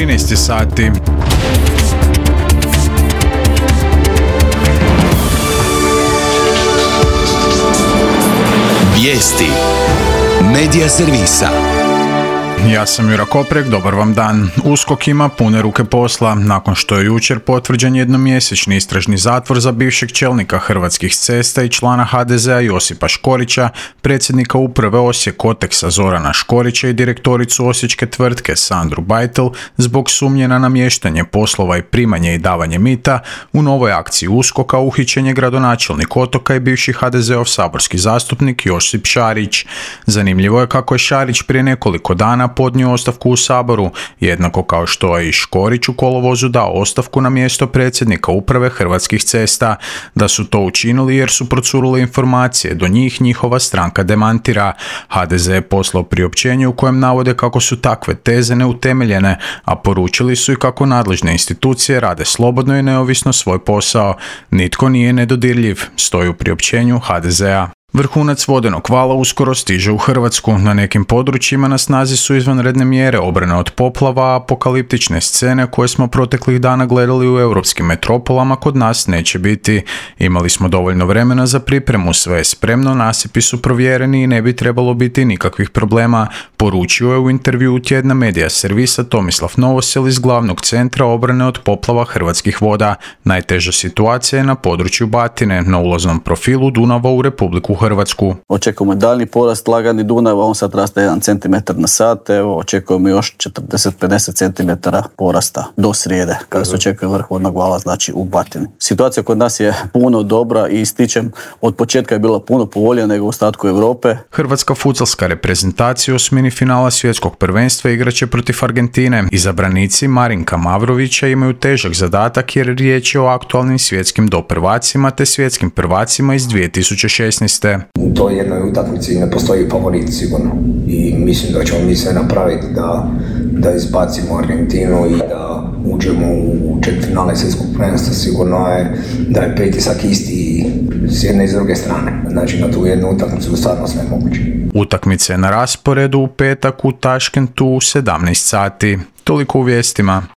13 sati. Vijesti Medija servisa. Ja sam Jura Koprek, dobar vam dan. USKOK ima pune ruke posla, nakon što je jučer potvrđen jednomjesečni istražni zatvor za bivšeg čelnika Hrvatskih cesta i člana HDZ-a Josipa Škorića, predsjednika uprave Osijek Koteksa Zorana Škorića i direktoricu osječke tvrtke Sandru Bajtel zbog sumnje na namještanje poslova i primanje i davanje mita. U novoj akciji USKOK-a uhićen je gradonačelnik Otoka i bivši HDZ-ov saborski zastupnik Josip Šarić. Zanimljivo je kako je Šarić prije nekoliko dana podnio ostavku u Saboru, jednako kao što je i Škorić u kolovozu dao ostavku na mjesto predsjednika uprave Hrvatskih cesta. Da su to učinili jer su procurule informacije, do njih njihova stranka demantira. HDZ je poslao priopćenje u kojem navode kako su takve teze neutemeljene, a poručili su i kako nadležne institucije rade slobodno i neovisno svoj posao. Nitko nije nedodirljiv, stoji u priopćenju HDZ-a. Vrhunac vodenog vala uskoro stiže u Hrvatsku. Na nekim područjima na snazi su izvanredne mjere obrane od poplava, a apokaliptične scene koje smo proteklih dana gledali u europskim metropolama kod nas neće biti. Imali smo dovoljno vremena za pripremu, sve je spremno, nasipi su provjereni i ne bi trebalo biti nikakvih problema, poručio je u intervjuu tjedna Medija servisa Tomislav Novosel iz glavnog centra obrane od poplava Hrvatskih voda. Najteža situacija je na području Batine, na ulaznom profilu Dunava u Republiku Hrvatsku. Očekujemo daljnji porast lagani Dunava, on sad raste 1 cm na sat, evo očekujemo još 40-50 cm porasta do srijede, kada se očekuje vrh vodnog vala, znači u Batini. Situacija kod nas je puno dobra i ističem, od početka je bila puno povoljnija nego u ostatku Europe. Hrvatska futsalska reprezentacija u osmini finala svjetskog prvenstva igraće protiv Argentine. Izabranici Marinka Mavrovića imaju težak zadatak jer riječ je o aktualnim svjetskim doprvacima te svjetskim prvacima iz 2016. U toj jednoj utakmici ne postoji favorit sigurno i mislim da ćemo mi sve napraviti da izbacimo Argentinu i da uđemo u četvrtfinale svjetskog prvenstva. Sigurno je da je pritisak isti s jedne i s druge strane. Znači na tu jednu utakmicu stvarno sve moguće. Utakmice na rasporedu u petak u Taškentu u 17 sati. Toliko u vijestima.